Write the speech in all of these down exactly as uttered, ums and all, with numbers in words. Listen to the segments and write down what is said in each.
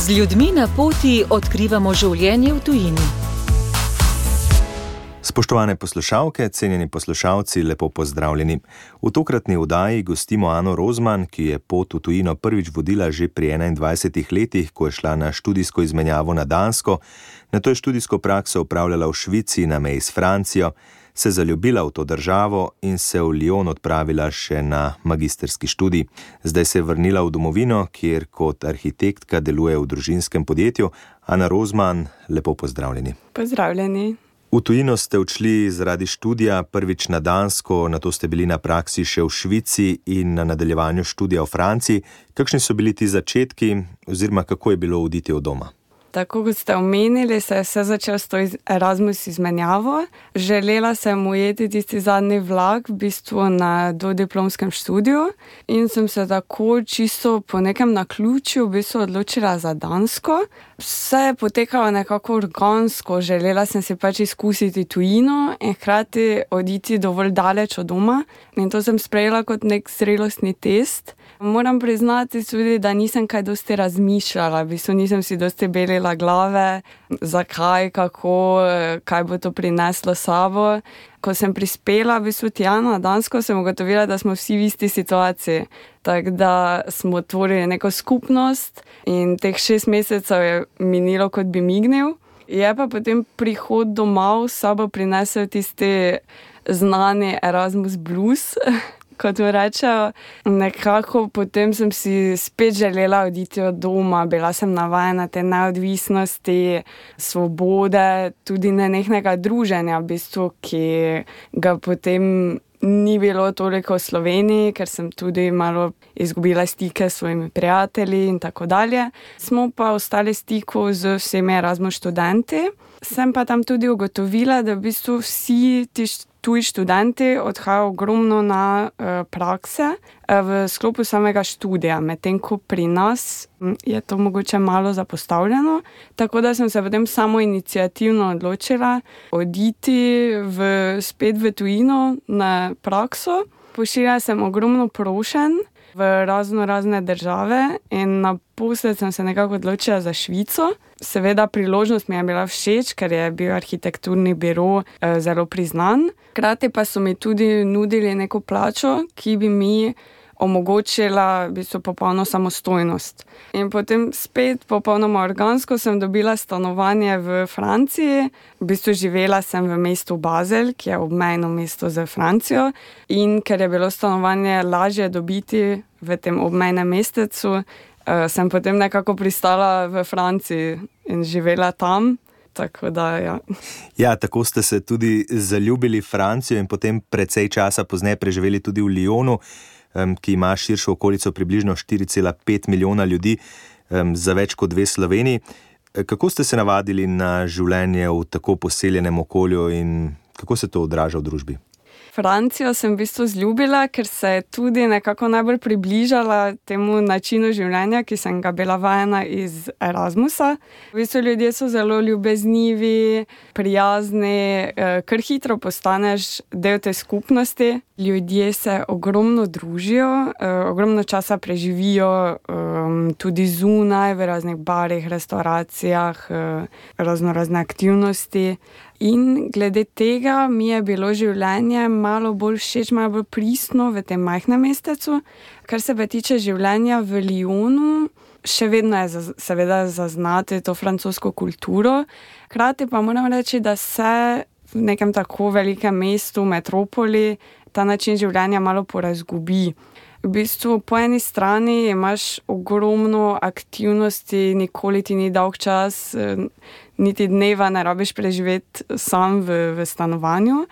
Z ljudmi na poti odkrivamo življenje v tujini. Spoštovane poslušalke, cenjeni poslušalci, lepo pozdravljeni. V tokratni oddaji gostimo Ano Rozman, ki je pot v tujino prvič vodila že pri enaindvajsetih letih, ko je šla na študijsko izmenjavo na Dansko, nato je študijsko prakso opravljala v Švici na meji s Francijo, se zaljubila v to državo in se v Lyon odpravila še na magistrski študij. Zdaj se je vrnila v domovino, kjer kot arhitektka deluje v družinskem podjetju. Ana Rozman, lepo pozdravljeni. Pozdravljeni. V tujino ste odšli zaradi študija, prvič na Dansko, nato ste bili na praksi še v Švici in na nadaljevanju študija v Franciji. Kakšni so bili ti začetki oziroma kako je bilo oditi od doma? Tako kot ste omenili, se je vse začelo s to Erasmus izmenjavo. Želela sem ujeti tisti zadnji vlak v bistvu na dodiplomskem študiju in sem se tako čisto po nekem naključju v bistvu odločila za Dansko. Vse je potekalo nekako organsko, želela sem si pač izkusiti tujino in hkrati oditi dovolj daleč od doma in to sem sprejela kot nek zrelostni test. Moram priznati tudi, da nisem kaj dosti razmišljala, v bistvu nisem si dosti belila glave, zakaj, kako, kaj bo to prineslo sabo. Ko sem prispela v bistvu tja na Dansko, sem ugotovila, da smo vsi v isti situaciji. Tako da smo tvorili neko skupnost in teh šest mesecev je minilo, kot bi mignil. Je pa potem prihod domov s sabo prinesel tisti znani Erasmus blues, kot mu rečejo. Nekako potem sem si spet želela oditi od doma, bila sem navajena te neodvisnosti, svobode, tudi nenehnega druženja, v bistvu, ki ga potem ni bilo toliko v Sloveniji, ker sem tudi malo izgubila stike s svojimi prijatelji in tako dalje. Smo pa ostali v stiku z vsemi Erasmus študenti. Sem pa tam tudi ugotovila, da v bistvu vsi ti tuji študenti odhajajo ogromno na uh, prakse uh, v sklopu samega študija, medtem ko pri nas je to mogoče malo zapostavljeno. Tako da sem se potem samo iniciativno odločila oditi v, spet v tujino na prakso. Pošiljala sem ogromno prošenj v razno razne države in naposled sem se nekako odločila za Švico. Seveda priložnost mi je bila všeč, ker je bil arhitekturni biro eh, zelo priznan. Hkrati pa so mi tudi nudili neko plačo, ki bi mi omogočila v bistvu popolno samostojnost. In potem spet popolnoma organsko sem dobila stanovanje v Franciji. V bistvu živela sem v mestu Basel, ki je obmejno mesto z Francijo. In ker je bilo stanovanje lažje dobiti v tem obmejnem mestecu, uh, sem potem nekako pristala v Franciji in živela tam. Tako da, ja. Ja, tako ste se tudi zaljubili v Francijo in potem precej časa pozneje preživeli tudi v Lyonu, ki ima širšo okolico približno štiri cela pet milijona ljudi, za več kot dve Sloveniji. Kako ste se navadili na življenje v tako poseljenem okolju in kako se to odraža v družbi? Francijo sem v bistvu zljubila, ker se je tudi nekako najbolj približala temu načinu življenja, ki sem ga bila vajena iz Erasmusa. V bistvu ljudje so zelo ljubeznivi, prijazni, kar hitro postaneš del te skupnosti. Ljudje se ogromno družijo, ogromno časa preživijo tudi zunaj, v raznih barih, restauracijah, razno razne aktivnosti. In glede tega mi je bilo življenje malo bolj všeč, malo bolj pristno v tem majhnem mestecu. Kar se pa tiče življenja v Lyonu, še vedno je seveda zaznati to francosko kulturo. Hkrati pa moram reči, da se v nekem tako velikem mestu, metropoli, ta način življenja malo porazgubi. V bistvu po eni strani imaš ogromno aktivnosti, nikoli ti ni dolg čas, niti dneva ne rabiš preživeti sam v, v stanovanju.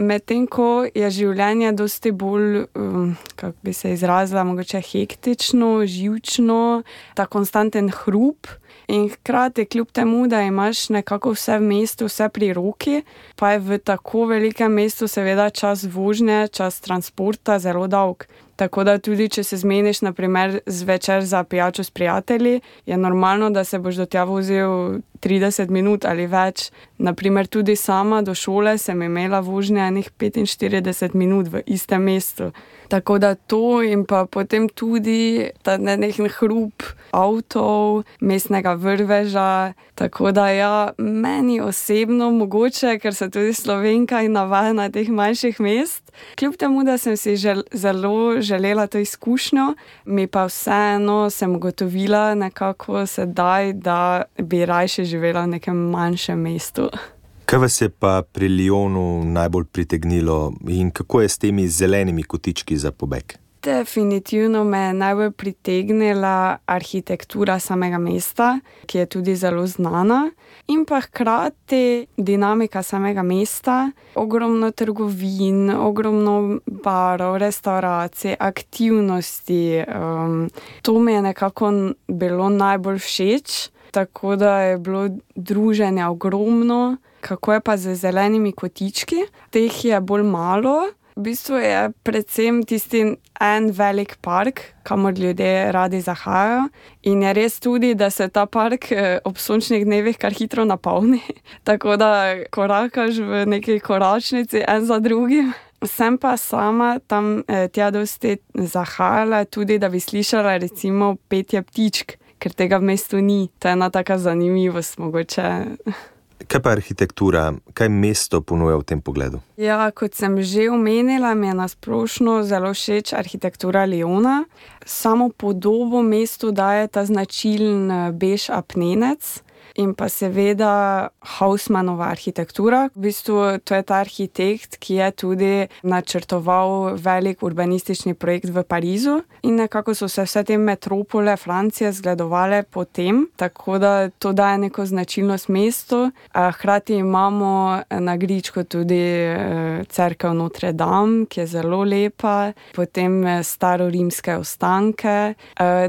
Medtem ko je življenje dosti bolj, um, kako bi se izrazila, mogoče hektično, živčno, ta konstanten hrup. In hkrati, kljub temu, da imaš nekako vse v mestu, vse pri roki, pa je v tako velikem mestu seveda čas vožnje, čas transporta zelo dolg. Tako da tudi, če se zmeniš, na primer, zvečer za pijačo s prijatelji, je normalno, da se boš do tja vozil trideset minut ali več. Na primer, tudi sama do šole sem imela vožnje enih petinštirideset minut v istem mestu. Tako da to in pa potem tudi ta nenehen hrup avtov, mestnega kakšnega vrveža. Tako da ja, meni osebno mogoče, ker sem tudi Slovenka in navajena teh manjših mest, kljub temu, da sem si žel, zelo želela to izkušnjo, mi pa vseeno sem ugotovila nekako sedaj, da bi rajše živela v nekem manjšem mestu. Kaj vas je pa pri Lyonu najbolj pritegnilo in kako je s temi zelenimi kotički za pobeg? Definitivno me je najbolj pritegnila arhitektura samega mesta, ki je tudi zelo znana, in pa hkrati dinamika samega mesta, ogromno trgovin, ogromno barov, restauracij, aktivnosti. Um, to mi je nekako bilo najbolj všeč, tako da je bilo druženja ogromno. Kako je pa z zelenimi kotički? Teh je bolj malo. V bistvu je predvsem tisti en velik park, kamor ljudje radi zahajajo. In je res tudi, da se ta park ob sončnih dnevih kar hitro napolni. Tako da korakaš v neki koračnici en za drugim. Sem pa sama tam tja dosti zahajala tudi, da bi slišala recimo petje ptičk, ker tega v mestu ni. To je ena taka zanimivost mogoče. Kaj pa arhitektura? Kaj mesto ponuja v tem pogledu? Ja, kot sem že omenila, mi je na splošno zelo všeč arhitektura Lyona. Samo podobo mestu daje ta značilen bež apnenec in pa seveda Haussmannova arhitektura. V bistvu to je ta arhitekt, ki je tudi načrtoval velik urbanistični projekt v Parizu in nekako so se vse te metropole Francije zgledovale po tem, tako da to daje neko značilnost mestu. Hkrati imamo na gričku tudi cerkev Notre Dame, ki je zelo lepa, potem starorimske ostanke.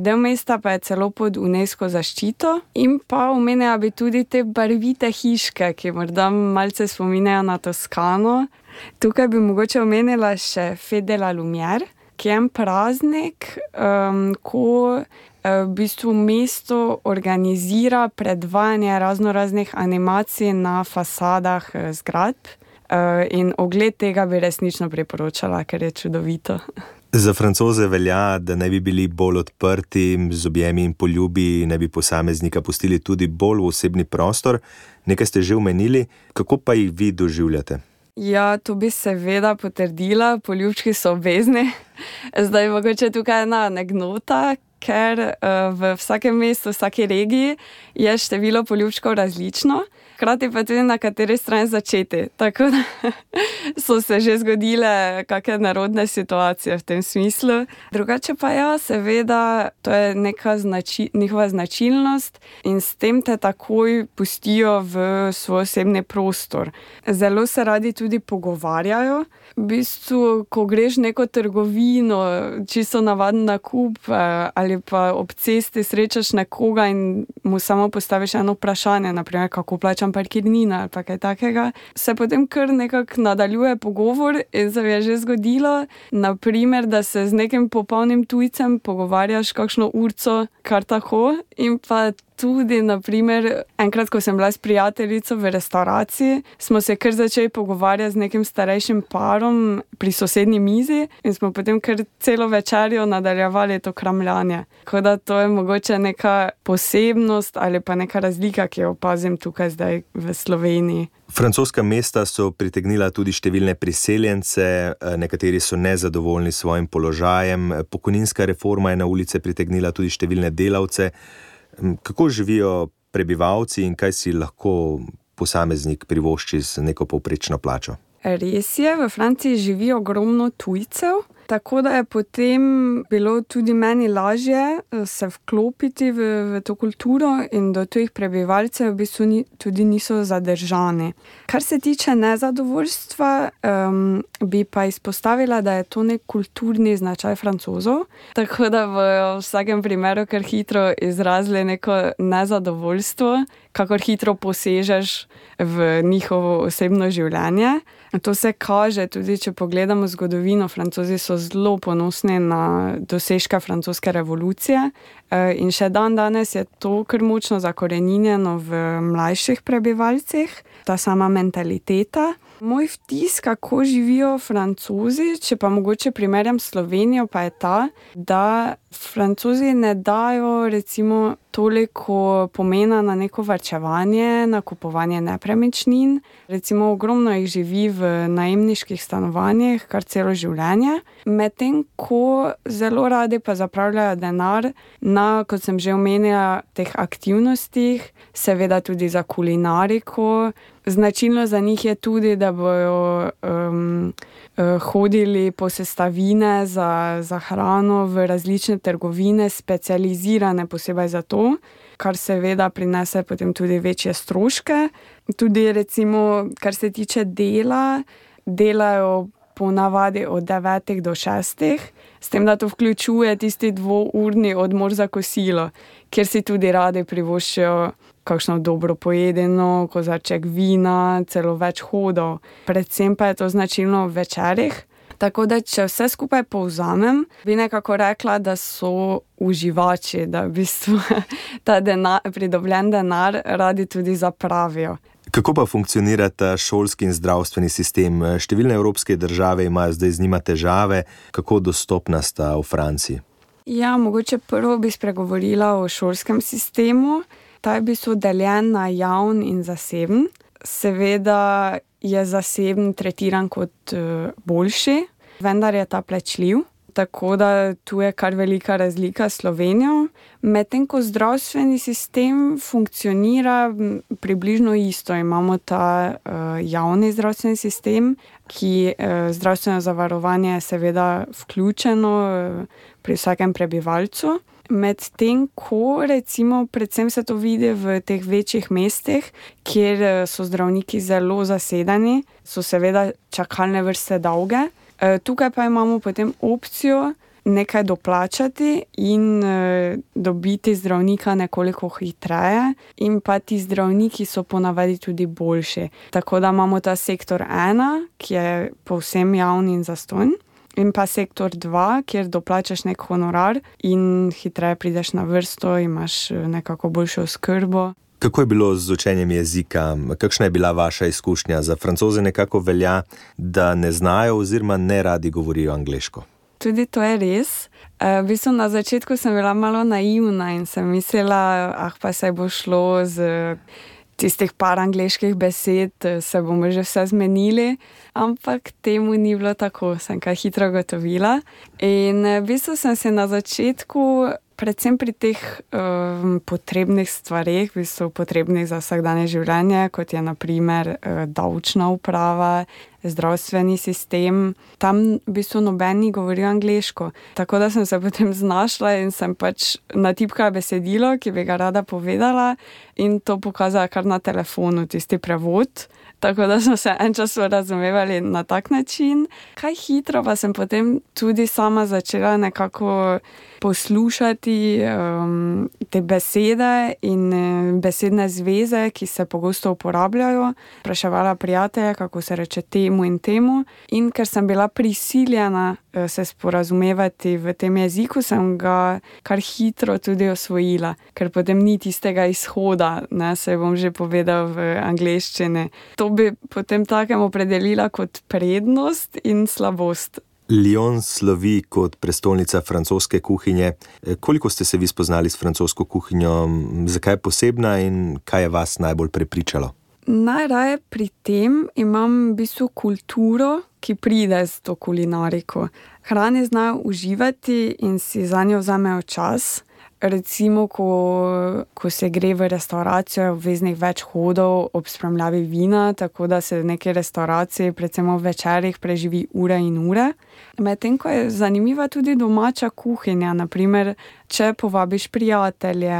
Del mesta pa je celo pod UNESCO zaščito in pa omenja bi tudi te barvite hiške, ki morda malce spominjajo na Toskano. Tukaj bi mogoče omenila še Fête de la Lumière, ki je en praznik, um, ko v bistvu mesto organizira predvajanje raznoraznih animacij na fasadah zgradb in ogled tega bi resnično priporočala, ker je čudovito. Za Francoze velja, da ne bi bili bolj odprti, z objemi in poljubi, ne bi posameznika pustili tudi bolj v osebni prostor. Nekaj ste že omenili, kako pa jih vi doživljate? Ja, to bi seveda potrdila, poljubčki so obvezni. Zdaj mogoče tukaj ena anekdota, ker uh, v vsakem mestu, v vsaki regiji je število poljubčkov različno, hkrati pa tudi na kateri strani začeti. Tako da so se že zgodile kakšne nerodne situacije v tem smislu. Drugače pa ja, seveda, to je neka znači, njihova značilnost in s tem te takoj pustijo v svoj osebni prostor. Zelo se radi tudi pogovarjajo. V bistvu, ko greš neko trgovino, čisto navaden nakup ali pa ob cesti srečaš nekoga in mu samo postaviš eno vprašanje, naprimer, kako plačam parkirnina ali pa kaj takega, se potem kar nekako nadaljuje pogovor in se mi je že zgodilo, naprimer, da se z nekim popolnim tujcem pogovarjaš kakšno urco kar tako in pa tudi, naprimer, enkrat, ko sem bila s prijateljico v restauraciji, smo se kar začeli pogovarjati z nekim starejšim parom pri sosednji mizi in smo potem kar celo večerjo nadaljevali to kramljanje. Tako da to je mogoče neka posebnost ali pa neka razlika, ki jo opazim tukaj zdaj v Sloveniji. Francoska mesta so pritegnila tudi številne priseljence, nekateri so nezadovoljni s svojim položajem, pokojninska reforma je na ulice pritegnila tudi številne delavce. Kako živijo prebivalci in kaj si lahko posameznik privošči z neko povprečno plačo? Res je, v Franciji živi ogromno tujcev, tako da je potem bilo tudi meni lažje se vklopiti v, v to kulturo in do tujih prebivalcev v bistvu ni, tudi niso zadržani. Kar se tiče nezadovoljstva, um, bi pa izpostavila, da je to nek kulturni značaj Francozov, tako da v vsakem primeru kar hitro izrazili neko nezadovoljstvo, kakor hitro posežeš v njihovo osebno življenje. To se kaže tudi, če pogledamo zgodovino. Francozi so zelo ponosni na dosežke francoske revolucije in še dan danes je to kar močno zakoreninjeno v mlajših prebivalcih, ta sama mentaliteta. Moj vtis, kako živijo Francozi, če pa mogoče primerjam Slovenijo, pa je ta, da Francozi ne dajo recimo toliko pomena na neko varčevanje, na kupovanje nepremičnin. Recimo ogromno jih živi v najemniških stanovanjih kar celo življenje, medtem ko zelo radi pa zapravljajo denar na, kot sem že omenila, teh aktivnostih, seveda tudi za kulinariko. Značilno za njih je tudi, da bojo um, hodili po sestavine za, za hrano v različne trgovine, specializirane posebej za to, kar seveda prinese potem tudi večje stroške. Tudi recimo, kar se tiče dela, delajo po navadi od devetih do šestih, s tem, da to vključuje tisti dvourni odmor za kosilo, kjer si tudi radi privoščijo kakšno dobro pojedeno, kozarček vina, celo več hodov. Predvsem pa je to značilno v večerih. Tako da, če vse skupaj povzamem, bi nekako rekla, da so uživači, da v bistvu ta denar, pridobljen denar radi tudi zapravijo. Kako pa funkcionira ta šolski in zdravstveni sistem? Številne evropske države imajo zdaj z njima težave. Kako dostopna sta v Franciji? Ja, mogoče prvo bi spregovorila o šolskem sistemu. Ta je v bistvu deljen na javn in zaseben. Seveda je zaseben tretiran kot boljši, vendar je ta plačljiv. Tako da tu je kar velika razlika s Slovenijo. Medtem ko zdravstveni sistem funkcionira približno isto. Imamo ta uh, javni zdravstveni sistem, ki uh, zdravstveno zavarovanje je seveda vključeno uh, pri vsakem prebivalcu. Medtem ko recimo predvsem se to vidi v teh večjih mestih, kjer so zdravniki zelo zasedeni, so seveda čakalne vrste dolge. Tukaj pa imamo potem opcijo nekaj doplačati in e, dobiti zdravnika nekoliko hitreje in pa ti zdravniki so ponavadi tudi boljši. Tako da imamo ta sektor ena, ki je povsem javni in zastonj, in pa sektor dva, kjer doplačaš nek honorar in hitreje prideš na vrsto, imaš nekako boljšo oskrbo. Kako je bilo z učenjem jezika? Kakšna je bila vaša izkušnja? Za Francoze nekako velja, da ne znajo oziroma ne radi govorijo angleško. Tudi to je res. V bistvu na začetku sem bila malo naivna in sem mislila, ah pa se bo šlo z tistih par angleških besed, se bomo že vse zmenili, ampak temu ni bilo tako, sem kaj hitro gotovila. In v bistvu sem se na začetku predvsem pri teh um, potrebnih stvareh, v bistvu potrebnih za vsakdanje življenje, kot je na primer uh, davčna uprava, zdravstveni sistem, tam v bistvu noben ni govoril angleško. Tako da sem se potem znašla in sem pač natipkala besedilo, ki bi ga rada povedala in to pokazala kar na telefonu, tisti prevod. Tako da smo se en čas razumevali na tak način. Kaj hitro pa sem potem tudi sama začela nekako poslušati um, te besede in besedne zveze, ki se pogosto uporabljajo. Spraševala prijatelje, kako se reče temu in temu. In ker sem bila prisiljena se sporazumevati v tem jeziku, sem ga kar hitro tudi osvojila, ker potem ni tistega izhoda, ne, se bom že povedal v angleščini. To bi potem takem opredelila kot prednost in slabost. Lyon slovi kot prestolnica francoske kuhinje. Koliko ste se vi spoznali s francosko kuhinjo? Zakaj je posebna in kaj je vas najbolj prepričalo? Najraje pri tem imam v bistvu kulturo, ki pride z to kulinariko. Hrane znajo uživati in si zanjo vzamejo čas. Recimo, ko, ko se gre v restauracijo, je obveznih več hodov ob spremljavi vina, tako da se v neki restauraciji, predvsem v večerih, preživi ure in ure. Medtem ko je zanimiva tudi domača kuhinja, naprimer, če povabiš prijatelje,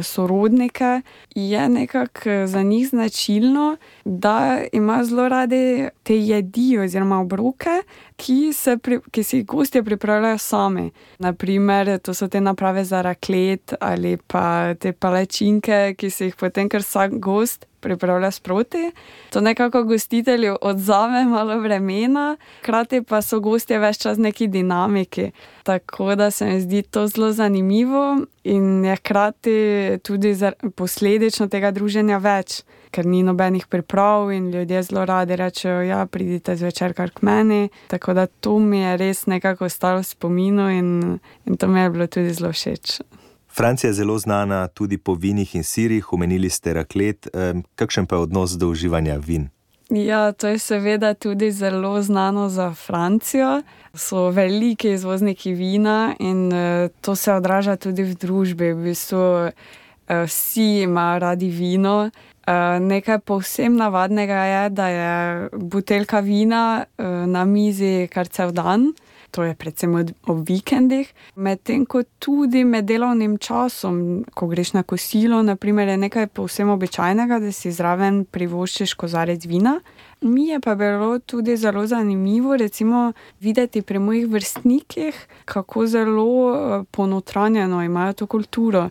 sorodnike, je nekako za njih značilno, da imajo zelo radi te jedi oziroma obroke, ki, se pri, ki si jih gostje pripravljajo sami. Naprimer, to so te naprave za raklet ali pa te palačinke, ki si jih potem kar vsak gost pripravlja sproti. To nekako gostitelju odzame malo vremena, hkrati pa so gostje ves čas neki dinamiki. Tako da se mi zdi to zelo zanimivo in je hkrati tudi posledično tega druženja več, ker ni nobenih priprav in ljudje zelo radi rečejo, ja, pridite zvečer kar k meni. Tako da to mi je res nekako ostalo v spominu in, in to mi je bilo tudi zelo všeč. Francija je zelo znana tudi po vinih in sirih, omenili ste raklet. Kakšen pa je odnos do uživanja vin? Ja, to je seveda tudi zelo znano za Francijo. So veliki izvozniki vina in to se odraža tudi v družbi. V bistvu vsi imajo radi vino. Nekaj povsem navadnega je, da je buteljka vina na mizi kar cel dan. To je predvsem ob vikendih. Medtem ko tudi med delovnim časom, ko greš na kosilo, na primer, je nekaj povsem običajnega, da si zraven privoščiš kozarec vina. Mi je pa bilo tudi zelo zanimivo, recimo, videti pri mojih vrstnikih, kako zelo ponotranjeno imajo to kulturo.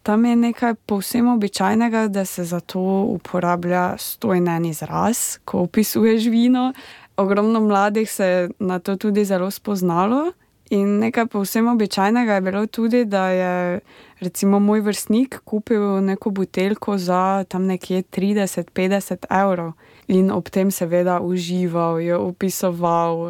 Tam je nekaj povsem običajnega, da se za to uporablja stojen izraz, ko opisuješ vino. Ogromno mladih se je na to tudi zelo spoznalo in nekaj povsem običajnega je bilo tudi, da je recimo moj vrstnik kupil neko buteljko za tam nekje trideset do petdeset evrov in ob tem seveda užival, jo opisoval.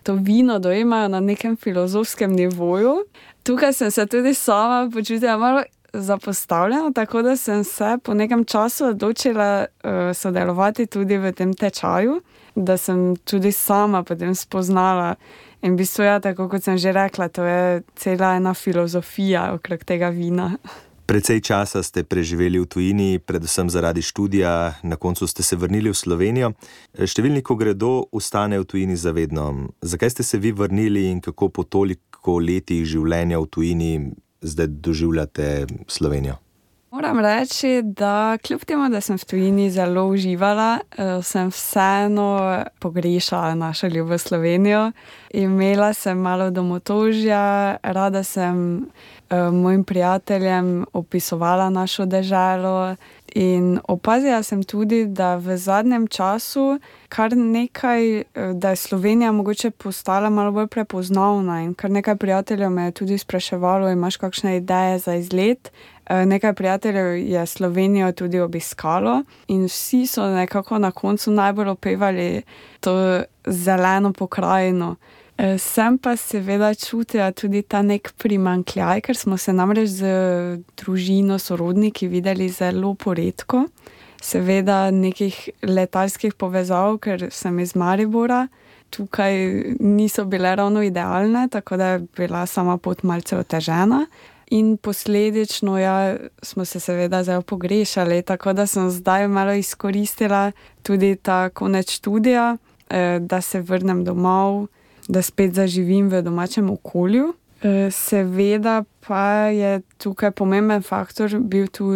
To vino dojemajo na nekem filozofskem nivoju. Tukaj sem se tudi sama počutila malo zapostavljeno, tako da sem se po nekem času odločila uh, sodelovati tudi v tem tečaju, da sem tudi sama potem spoznala. In v bistvu, ja, tako kot sem že rekla, to je cela ena filozofija okrog tega vina. Precej časa ste preživeli v tujini, predvsem zaradi študija, na koncu ste se vrnili v Slovenijo. Številni, ko gredo, ostanejo v tujini zavedno. Zakaj ste se vi vrnili in kako po toliko letih življenja v tujini zdaj doživljate Slovenijo? Moram reči, da kljub temu, da sem v tujini zelo uživala, sem vseeno pogrešala našo ljubo Slovenijo. Imela sem malo domotožja, rada sem mojim prijateljem opisovala našo deželo in opazila sem tudi, da v zadnjem času kar nekaj, da je Slovenija mogoče postala malo bolj prepoznavna in kar nekaj prijateljev me je tudi spraševalo, imaš kakšne ideje za izlet. Nekaj prijateljev je Slovenijo tudi obiskalo in vsi so nekako na koncu najbolj opevali to zeleno pokrajino. Sem pa seveda čutila tudi ta nek primanjkljaj, ker smo se namreč z družino, sorodniki videli zelo poredko. Seveda nekih letalskih povezav, ker sem iz Maribora, tukaj niso bile ravno idealne, tako da je bila sama pot malce otežena. In posledično, ja, smo se seveda zelo pogrešali, tako da sem zdaj malo izkoristila tudi ta konec študija, da se vrnem domov, da spet zaživim v domačem okolju. Seveda pa je tukaj pomemben faktor bil tu,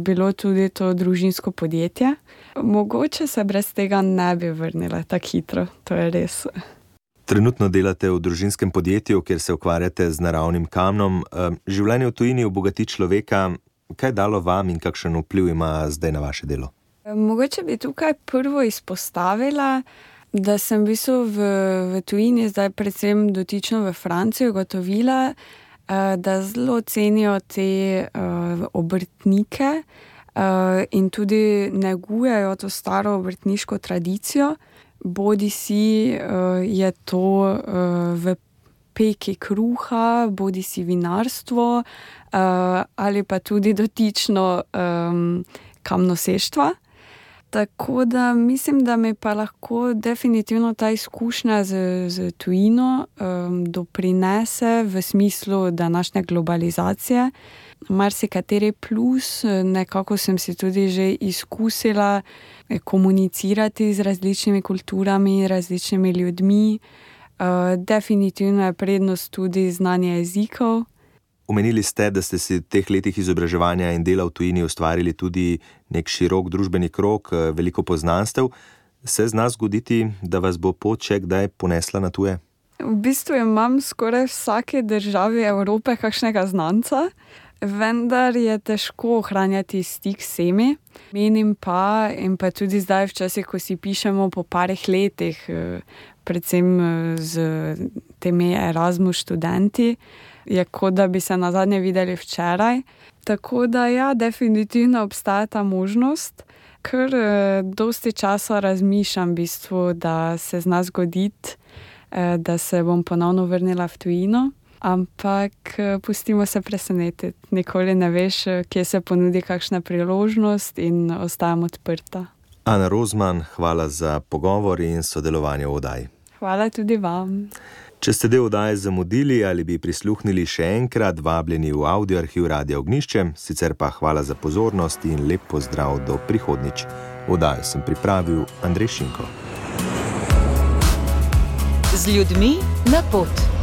bilo tudi to družinsko podjetje. Mogoče se brez tega ne bi vrnila tako hitro, to je res. Trenutno delate v družinskem podjetju, kjer se ukvarjate z naravnim kamnom. Življenje v tujini obogati človeka. Kaj je dalo vam in kakšen vpliv ima zdaj na vaše delo? Mogoče bi tukaj prvo izpostavila, da sem v bistvu v, v tujini, zdaj predvsem dotično v Franciji, ugotovila, da zelo cenijo te uh, obrtnike uh, in tudi negujejo to staro obrtniško tradicijo. Bodi si uh, je to uh, v peki kruha, bodi si vinarstvo uh, ali pa tudi dotično um, kamnoseštva. Tako da mislim, da mi pa lahko definitivno ta izkušnja z, z tujino um, doprinese v smislu današnje globalizacije. Marsikateri plus, nekako sem si tudi že izkusila komunicirati z različnimi kulturami, različnimi ljudmi. Uh, definitivno je prednost tudi znanje jezikov. Omenili ste, da ste si v teh letih izobraževanja in dela v tujini ustvarili tudi nek širok družbeni krog, veliko poznanstev. Se zna zgoditi, da vas bo pot še kdaj ponesla na tuje? V bistvu imam skoraj v vsaki državi Evrope kakšnega znanca. vendar je težko ohranjati stik s vsemi. Menim pa, in pa tudi zdaj včasih, ko si pišemo po parih letih, predvsem z temi Erasmus študenti, je kot da bi se nazadnje videli včeraj. Tako da ja, definitivno obstaja ta možnost, ker dosti časa razmišljam v bistvu, da se zna zgoditi, da se bom ponovno vrnila v tujino. Ampak pustimo se presenetiti. Nikoli ne veš, kje se ponudi kakšna priložnost in ostajam odprta. Ana Rozman, hvala za pogovor in sodelovanje v oddaji. Hvala tudi vam. Če ste del oddaje zamudili ali bi prisluhnili še enkrat, vabljeni v audio arhiv Radia Ognjišče, sicer pa hvala za pozornost in lep pozdrav do prihodnjič. Oddajo sem pripravil Andrej Šinko. Z ljudmi na pot.